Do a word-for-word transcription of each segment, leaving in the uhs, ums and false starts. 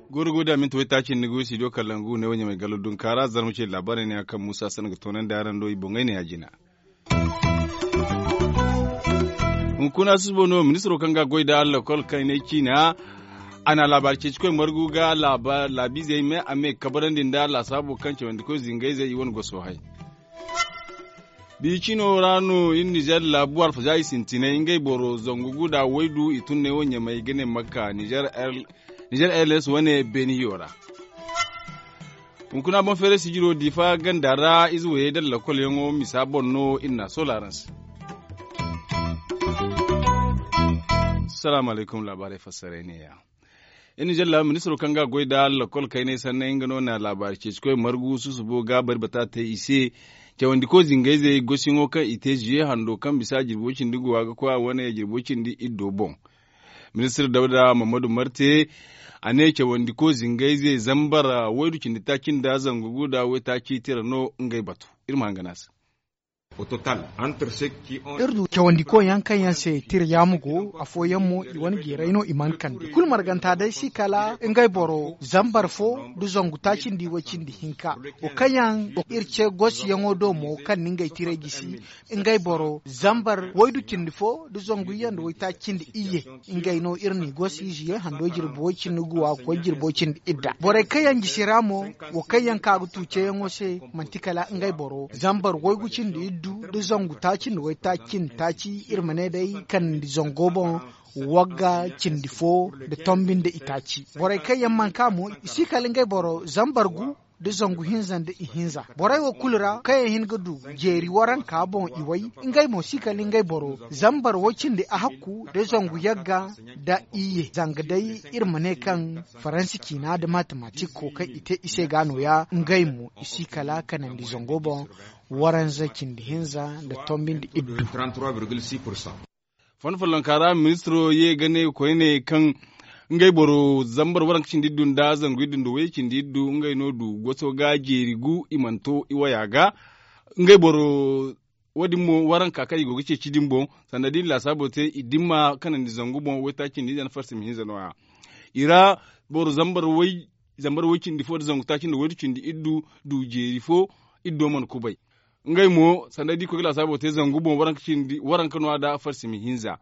Goro go da minti waytaaci ni go studio kalangu ne wo ɲamay gallo dunkaara zarma ce laabaarey ne ya kaŋ muusa sanda ga toonandi araŋ do i boŋey ne ya jina. Hunkuna susubo no ministiro kaŋ ga a goy nda lakkol kaŋ i ne ciina a na laabaari ceeci koy margu ga laabiizey me a me kabarandi nda laasaabo kaŋ cawandi koy zingayzey i wane goso hay. Biicino ra no iri nizer laabu alfazaari sintinay ngey boro zangu gu nda waydu i tun ne wo ɲamay ga ne makka nizer airlines wane beeniyo ra. Hunkuna boŋ feeray sijiro diifa ganda ra ize wayey nda lakkol yaŋo misa boŋ no iri n'a soola araŋ se. Salaamu alaykum laabaarey fassaray ne- ya. Iri nizer laabu ministiro kaŋ ga a goy nda lakkol kaynay sanney nga no na laabaari ceeci koy margu susubo ga bari bata te i se. Cawandi koy zingayzey gosiyaŋo kaŋ i te ziye hando kaŋ bisa jirbi way cindi guwa ga koy a wane jirbi way cindi iddo boŋ. Ministir dawda mammadu marte a ne cawandi koy zingayze zambar waydu cindi taaci nda zangu gu nda waytaaci tira no ngey batu. Iri ma hangan a se. Iri du cawandi koy yaŋ kaŋ yaŋ se tira yaamu go afooyaŋ mo i wane jeeray no i mana kande i kulu marganta day si kala ngey boro zambar fo nda zangu taaci nda i way cindi hinka. Wo kaŋ yaŋ iri ce gosiyaŋo do mo kaŋ na ngey tiray gisi ngey boro zambar waydu cindi fo nda zangu iyye nda waytaaci cindi iyye. Ngey no iri n'i gosi ziye hando jirbi way cindi guwa ga koy jirbi way cindi idda borey kaŋ yaŋ jisi ra mo. Wo kaŋ yaŋ ka ga tu ceeyaŋo se manti kala ngey boro zambar waygu cindi iddu nda zangu taaci nda waytaaci cindi taaci iri ma ne day kanandi zango boŋ. Wagga cindi fo nda tombi nda itaaci borey kaŋ yaŋ mana ka mo i si kala ngey boro zambar gu nda zangu hinza nda ihinza borey wo kulu ra kaŋ yaŋ hin ga du jeeri waranka boŋ i way. Ngey mo si kala ngey boro zambar way cindi ahakku nda zangu yagga nda iyye zanga day iri ma ne kaŋ faransi ciina nda matematik kookay i te i se ga nooya ngey mo i si kala kanandi zango boŋ. Waranza cindi hinza nda tombi nda iddu. Fanda follonka ra ministiro ye ga ne koyne kaŋ ngey boro zambar waranka cindi iddu nda zangu iddu nda wayye cindi iddu ngey no du goso ga jeeri gu i mana to i waya ga. Ngey boro wo- din mo waranka kaŋ i go ga ceeci din boŋ sanda da i na laasaabo te i dimma kanandi zangu boŋ waytaaci nda ize nda farsi ma hinza no- ya. I ra boro zambar way cindi fo nda zangu taaci nda waydu cindi iddu du jeeri fo. Iddo mana kubay ngey mo sanda da i koy ga laasaabo te zangu boŋ waranka no- ya nda farsi ma hinza.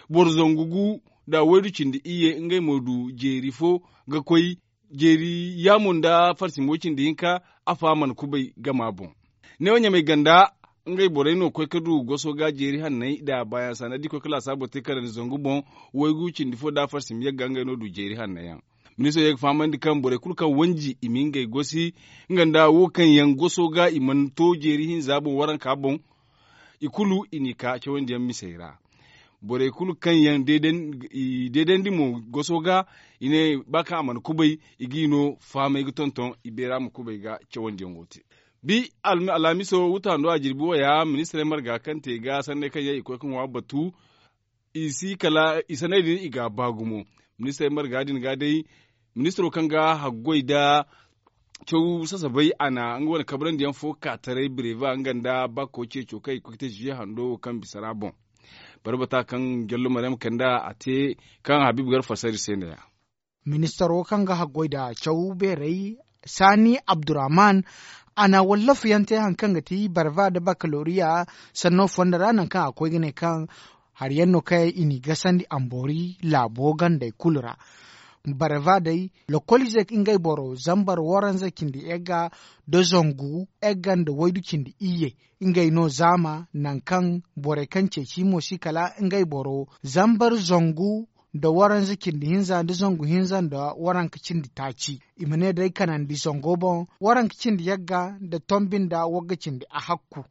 Boro zangu gu nda waydu cindi iyye ngey mo du jeeri fo ga koy jeeri yaamo nda farsi ma way cindi hinka. Afa mana kubay gama boŋ. Neewo ɲamay ganda ngey borey no koy ga du goso ga jeeri hanney nda baayaŋ sanda da i koy ga laasaabo te kanandi zangu boŋ waygu cindi fo nda farsi ma yagga ngey no du jeeri hanno yaŋ. Ministiro ye ga fahamandi kaŋ borey kulu kaŋ wanji i ma ngey gosi nga nda wo kaŋ yaŋ goso ga i mana to jeeri hinza boŋ waranka boŋ. I kulu i n'i ka cawandiyaŋ misey ra. Borey kulu kaŋ yaŋ i deedandi mo goso ga i ne ba kaŋ a mana kubay i g'i no fahamay ga tonton i beera ma kubay ga cawandiyaŋo te. Bi alhamiso wuta hando a jirbi waya ministirey marga kaŋ te ga sanney kaŋ yaŋ i koy ga ŋwa batu. I si kala i sanney din i ga a ba gumo. Ministirey marga din ga day ministiro kaŋ ga haggoy nda caw sasabay a na nga wane kabrandi yaŋ fo ka taray bireba nga nda bako ceeco kaŋ i koy ga te ziye hando wo kaŋ bisa ra boŋ. Barbata kaŋ jallo maryam kanda a te kaŋ habibu gar fasari se ne ya. Ministaro kaŋ ga haggoy nda caw beeray sani abdurrahman a na wallafu yaŋ te hari kaŋ ga ti barva nda bakaloriya sanno fondo ra nangu kaŋ a koy ga ne kaŋ hari yaŋ no kaŋ i n'i gasandi amboori laabo gandey kulu ra. Barva day lokoliizey ngey boro zambar waranza cindi egga nda zangu egga nda waydu cindi iyye. Ngey no zaama nangu kaŋ borey kaŋ ceeci mo si kala ngey boro zambar zangu nda waranza cindi hinza nda zangu hinza nda waranka cindi taaci. I ma ne day kanandi zango boŋ waranka cindi yagga nda tombi nda wagga cindi ahakku.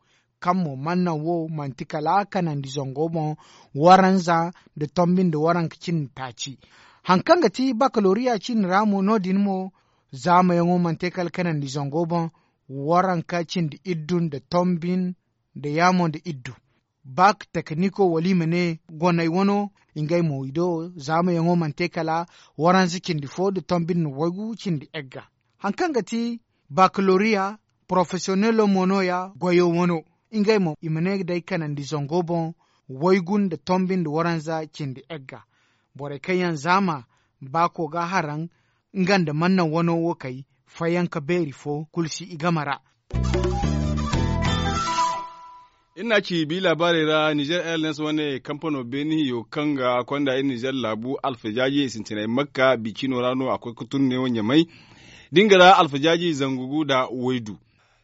Kaŋ mo mana naŋ wo manti kala kanandi zango boŋ waranza nda tombi nda waranka cindi taaci. Hari kaŋ ga ti bakaloriya ciine ra mo no- din mo zaamayaŋo mana te kala kanandi zango boŋ waranka cindi iddu nda tombi nda yaamo nda iddu. Bak tekiniko wala i ma ne goney wano ngey mo i do zaamayaŋo mana te kala waranza cindi fo nda tombi nda waygu cindi egga. Hari kaŋ ga ti bakaloriya Porofesiyonelo mo no- ya goyo wano. Ngey mo i ma ne day kanandi zango boŋ, waygu nda tombi nda waranza cindi egga. Borey kaŋ yaŋ zaama baako ga haraŋ nga nda mannaŋ wano wo kay, fayyanka beeri fo kulu si i game ra. Iri n'a ci bi laabaarey ra, nizer airlines wane kampano beeni hiyo kaŋ ga konda iri nizer laabu alfajaaji sintinay makka bicino ra no a koy ga tun neewo ɲamay. Da nga ra alfajaaji zangu gu nda waydu.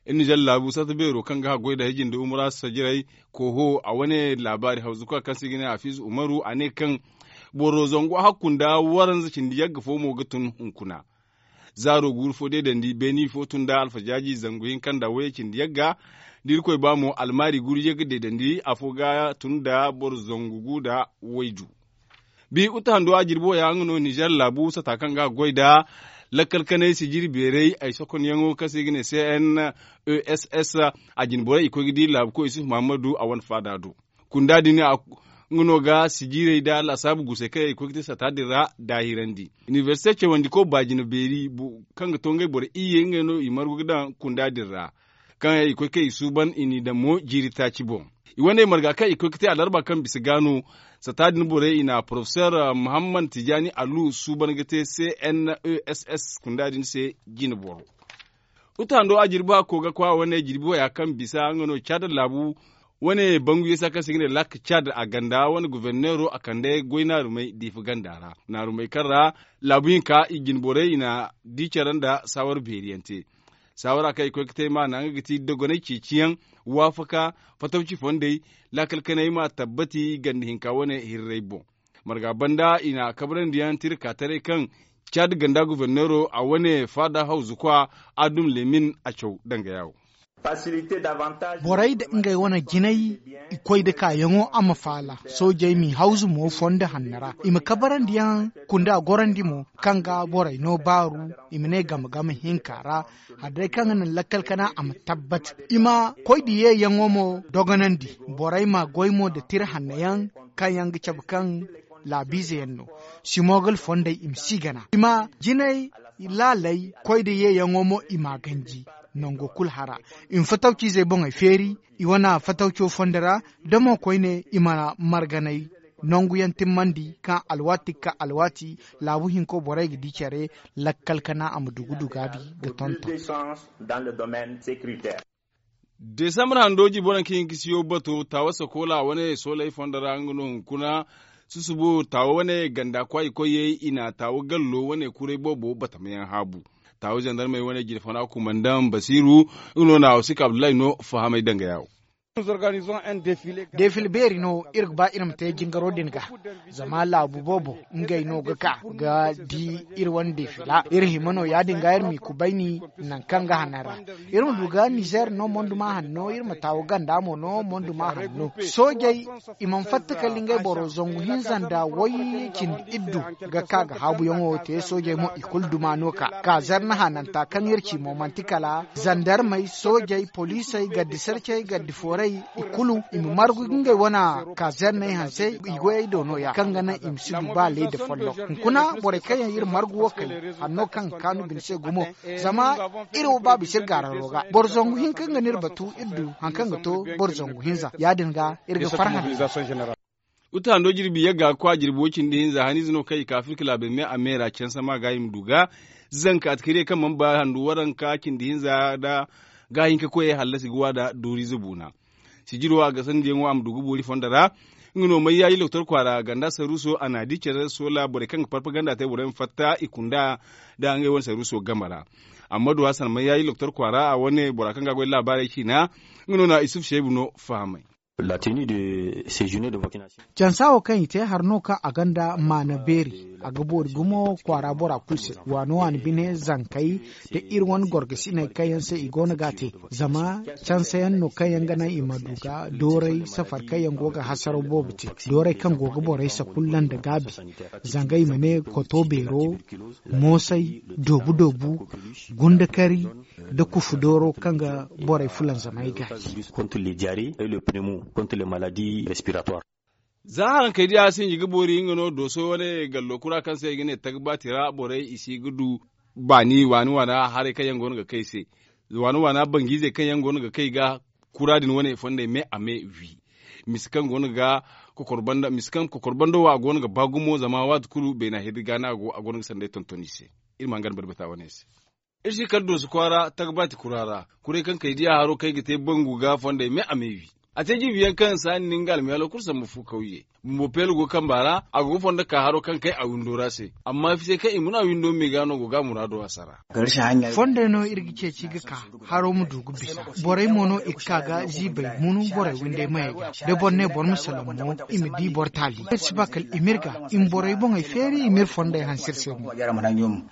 Iri nizer laabu sarta beero kaŋ ga haggoy nda hiji nda umura sajiray kooho a wane laabaari hawzuka kaŋ se i ga ne hafiizu umaru a ne kaŋ boro zangu hakku nda waranza cindi yagga fo mo ga tun hunkuna. Zaaro guuru fo deedandi beeni fo tun nda alfajaaji zangu hinka nda wayey cindi yagga. Da irkoy ba mo almaari guuru yagga deedandi afo ga tun nda boro zangu gu nda waydu. Bi uta hando a jirbi wo ya nga no nizer laabu sata kaŋ ga goy nda lakkal kanay sijiri beeray ay sokonyaŋo kaŋ se i ga ne cnes. A jinborey i koy ga di laabu koy yusuf muhammadu a wane faada do. Kunda din nga no ga sijirey nda laasaabu gusey kaŋ yaŋ i koy ga te sata din ra daahirandi. Inibersite cawandiko baajina beeri kaŋ ga to ngey boro iyye ngey no i margu ga daŋ kunda din ra. Kaŋ yaŋ i koy kaŋ i suuban i n'i daŋ mo jiiri taaci boŋ. I wane marga kaŋ i koy ga te alarba kaŋ bisa ga no sata din borey i na porofesor muhammad tijani alu suuban ga te cnes kunda din se jine boro. Uta hando a jirbi hakko ga kwa wane jirbi waya kaŋ bisa nga no caada laabu wane bangu yeesa kaŋ se ga ne lak caada a ganda wane goforneero a kande goy naarumey diifa ganda ra. Naarumey kaŋ ra laabu hinka i jine borey i na di care nda saawar beeri yaŋ te. Saawara kaŋ i koy ga te maana nga ga ti dogonay ceeci yaŋ waafaka fatawci fondey laakal kanay ma tabbati ganda hinka wane hirray boŋ. Marga banda i na kabrandi yaŋ tira ka taray kaŋ caadi ganda goforneero a wane faada hawzu kwa adum lemin a caw danga yaawo. Borey nda ngey wane jinay i koy nda kaayaŋo a ma faala soojey m'i hawzu mo fondo hanno ra i ma kabarandi yaŋ kunda gorandi mo kaŋ ga borey no baaru i ma ne game game hinka ra. Hala day kaŋ ga naŋ lakkal kana a ma tabbat i ma koy nda yeeyaŋo mo dogonandi. Borey ma goy mo nda tira hanno yaŋ kaŋ yaŋ ga cabe kaŋ laabiize yaŋ no. Simogal fondey i ma si gana i ma jinay laaley koy nda yeeyaŋo mo i m'a ganji nango kulu hara. I ma fatawciizey boŋey feeri i wane fatawco fondo ra da mo koyne i ma marganay nangu yaŋ timmandi kaŋ alwaati ga ka alwaati laabu hinko borey ga di care lakkal kana a ma dugu dugaabi ga tonton. Desambar hando jibo naŋ kaŋ i ga siyo bato taawa sakola wane soolay fondo ra nga no hunkuna susubo taawa wane ganda kwaayi koyey i na taawa gallo wane kuray boobo batamayaŋ haabu. Taawa zandarmey wane jirfana kumandaŋ basiiru nga no na a wasi ka abdullahi no fahamay danga yaawo. Defil beeri no iri ga ba iri ma te jingaro din ga zama laabu boobo ngey no ga ka ga di iri wane defila iri hima no ya- din ga iri m'i kubayni nangu kaŋ ga hanan ra. Iri ma du ga nizer no monduma hanno iri ma taawu ganda mo no monduma hanno soojey i mana fatta kala ngey boro zangu hinza nda way cindi iddu ga ka ga haabuyaŋo te soojey mo i kulu duma no ka ka zarna hananta kaŋ iri ci mo manti kala zandarmey soojey poliisey gardi sarcey gardi foorey i kulu i ma margu ga ngey wane kazerney hanse i goyey do no- ya kaŋ ga naŋ i ma si du ba leeda folloŋ. Hunkuna borey kaŋ yaŋ iri margu wo kay hanno kaŋ ga kaanu bine se gumo zama iri wo ba bisa iri gaararo ga boro zangu hinka nga no iri batu iri du hari kaŋ ga to boro zangu hinza ya- din ga iri ga farhã nda. Uta hando jirbi yagga ga kwa jirbi wo cindi hinza haniize no kaŋ i ka afirka laabey me a me ra canse ma ga i ma du ga zanka atakariya kaŋ mana ba handu waranka cindi hinza nda gaahinka koyey hallasi ga wa nda dooriize buuna. Sijiro a gasandi yaŋo a ma du ga boori fondo ra. Nga no mayyaaji loktor kwaara ganda saruuso a na di care soola borey kaŋ ga parpaganda te borey ma fatta i kunda nda ngey wane saruuso game ra. Amma du hasan mayyaaji loktor kwaara a wane bora kaŋ ga a goy laabaarey ciina nga no na isuf seebu no fahamay. Cansa wo kaŋ i te hari no kaŋ a gonda maana beeri a ga boori gumo kwaara bora kulu se waani waani bine zankey nda iri wane gorgasiney kaŋ yaŋ se i go no ga a te. Zama canse yaŋ no kaŋ yaŋ ga naŋ i ma du ga dooray safar kaŋ yaŋ go ga hasaraw boobo te dooray kaŋ go ga borey sakulla nda gaabi zanga i ma ne koto beero, moosay, doobu doobu, gundakari, nda kufu dooro kaŋ ga borey fulanzamay gaaji. Za harankey diya sinji ga boori nga no dooso wane gallo kura kaŋ se i ga ne tagbaati ra borey i si ga du baani waani waana haray kaŋ yaŋ go no ga kay se. Waana waana bangu izey kaŋ yaŋ go no ga kay ga kura din wane fondey me a me wi. Misa kaŋ go no ga kokor banda misa kaŋ kokor banda wo a go no ga ba gumo zama waati kulu beena hiddi ga no a go a go no ga sanday tonton i se. Iri ma hangan barbata wane se. Iri si kala dooso kwaara tagbaati kura ra. Kuray kaŋ kay diya haro kaŋ ay ga te bangu ga fondey me a me wi. A te jirbi yaŋ kaŋ saani ni nga almiyaalo kulu sambu fu kawye. Bumbo peelo go kamba ra a go ga fondo ka haro kaŋ kay a windo ra se. Amma fise kaŋ i muna windo me ga no go ga muraado a sara. Fondey no iri ga ceeci ga ka haro ma du ga bisa. Borey mo no i ga ka ga ziibay munu borey windey mayey ga da boro ne boro ma salaŋ mo, i ma di boro taali. Iri si ba kala i ma iri ga i ma borey boŋey feeri i ma iri fondey hanse iri se mo.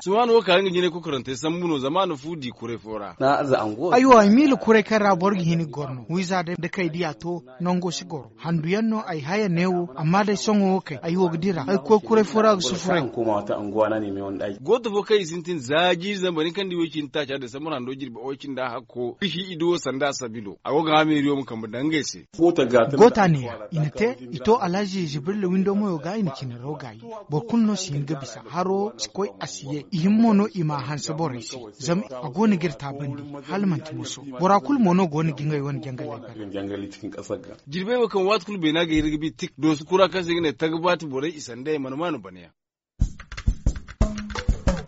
Sumaana wo ka nga jine kokorante sambu no zama a na fu di kuray fo ra. Aywa i miila kuray kaŋ ra boro ga hin ga goro no wiiza day da kay diya to. Nango si goro handu yaŋ no ay haya neewo amma day sohõ wo kay ay wo ga dira ay koy kuray fo ra ga sufuray. Gooto fo kaŋ i sintin za jiiri zambar ni kaŋ di woy cindi taaca da sambar hando jirbi woy cindi a hakko i si i duwo sanda sabilo a go ga hameeriyo ma kambe daŋ ngey se. Goota neeya i na te i to alhazi jibrilla windo moyo ga i na cinaro gaayi. Boro kulu no si hin ga bisa haro si koy a si ye i hima mo no i ma a hanse borey se. Zama a go no ga iri taabandi hala manti moso. Bora kulu mo no go no ga ngey wane jangaley bare. Jirbey wo kaŋ waati kulu beena ga hiri ga bi tik doosu kura kaŋ se i ga ne tagbaati borey i sandey mana maanu bana yaŋ.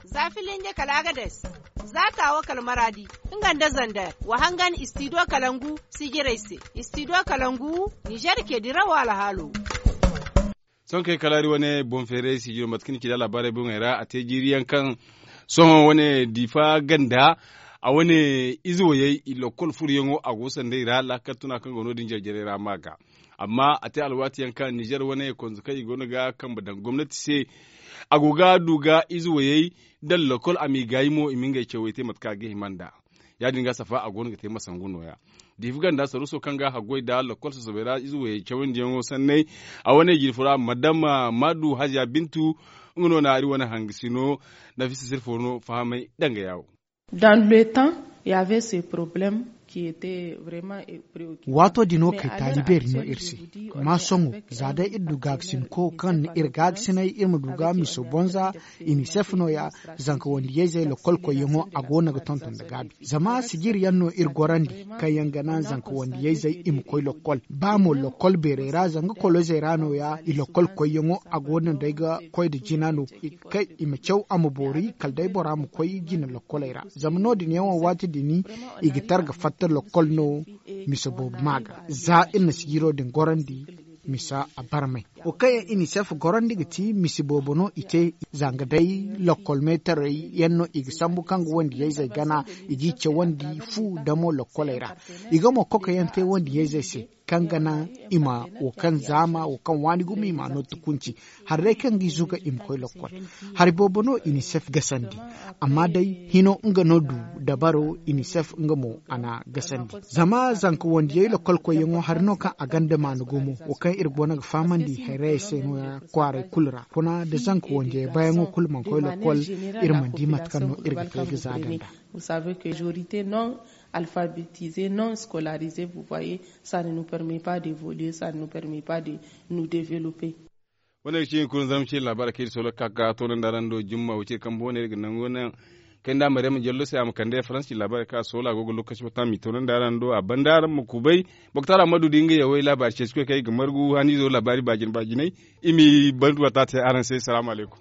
Za filinje kala agades, za taawo kala maraadi, nga nda zander wa hangan istido kalangu sijirey se. Istido kalangu nizer ke dirawo alhaalo. Sohõ kay kala iri wane boŋ feeray sijiro mate kaŋ ni ci da laabaarey boŋey ra a te jiiri yaŋ kaŋ sohõ wane diifa ganda a wane ize wayey i lokkol furuyaŋo a go sanday ra laakal tuna kaŋ go no- din jare-jarey ra ma ga. Amma a te alwaati yaŋ kaŋ nizer wane konzo kaŋ i go no ga kambe daŋ gomnati se. A go ga du ga ize wayey daŋ lokkol a m'i gaayi mo i ma ngey cawey te mate kaŋ a ga hima nd'a. Ya- din ga safa a go no ga te masangu nooya. Diifa ganda saruuso kaŋ ga haggoy nda lokkol sosobey ra ize wayey cawandiyaŋo sanney. A wane jirfo ra madama maadu haziya bintu nga no na iri wane hangasino nafisa sirfo no fahamay danga yaawo. Dans le temps, il y avait ce problème qui était vraiment préoccupant. Waato din wo kay taali beeri no iri se. Amma sohõ za day iri du gaagasinko kaŋ na iri gaagasinay iri ma du ga miso bonza. Inisef nooya zanka wandiyayzey lokkol koyyaŋo a go no ga tonton nda gaabi. Zama sijir yaŋ no iri gorandi kaŋ yaŋ ga naŋ zanka wandiyayzey i ma koy lokkol ba mo lokkol beerey ra zanga kolozey ra nooya i lokkol koyyaŋo a go no day ga koy nda jina no. Kay i ma caw a ma boori kala day bora ma koy jina lokkoley ra. Zama no- din yaŋo waati din i ga tara ga fatta lokkol no. Misa boobo ma ga za iri na sijiro din gorandi. Misa a barmay wo kaŋ yaŋ inisef gorandi ga ti misa boobo no i te. Zanga day lokkol meetarey yaŋ no i ga sambu kaŋ ga wandiyayzey gana i g'i cawandi fu damo lokkoley ra. I ga mo kokoyaŋ te wandiyayzey se kaŋ ga naŋ i ma wo kaŋ zaama wo kaŋ waani gumo i ma a no tukunci. Hari day kaŋ ga i zuga i ma koy lokkol. Hari boobo no inisef gasandi. Amma day hino nga no du dabaro inisef nga mo a na gasandi. Zama zanka wandiyey lokkol koyyaŋo hari no kaŋ a ganda maana gumo wo kaŋ iri go no ga fahamandi hayrayey se nooya kwaaray kulu ra kuna nda zanka wandiyey bayaŋo kulu mana koy lokkol. Iri mana di mate kaŋ no iri ga te ga za danda. Vous savez que majorité non alphabétisé non scolarisé vous voyez, ça ne nous permet pas d'évoluer, ça ne nous permet pas de nous développer. Wane ga ci hunkuna zama ci laabaari kaŋ iri solo ga ka ga toonandi araŋ do jumma wo cire kambe wane iri ga nangu naŋ kay nda maryama jallo se a ma kande faransi ci laabaari kaŋ a solo a go ga lokaci fo taŋ a m'i toonandi araŋ do a banda araŋ ma kubay. Boktaara ma du da nga yawey laabaari ceeci koy kaŋ i ga margu haniizo laabaari baajine baajiney. I m'i bandu wata te araŋ se salaamu alaykum.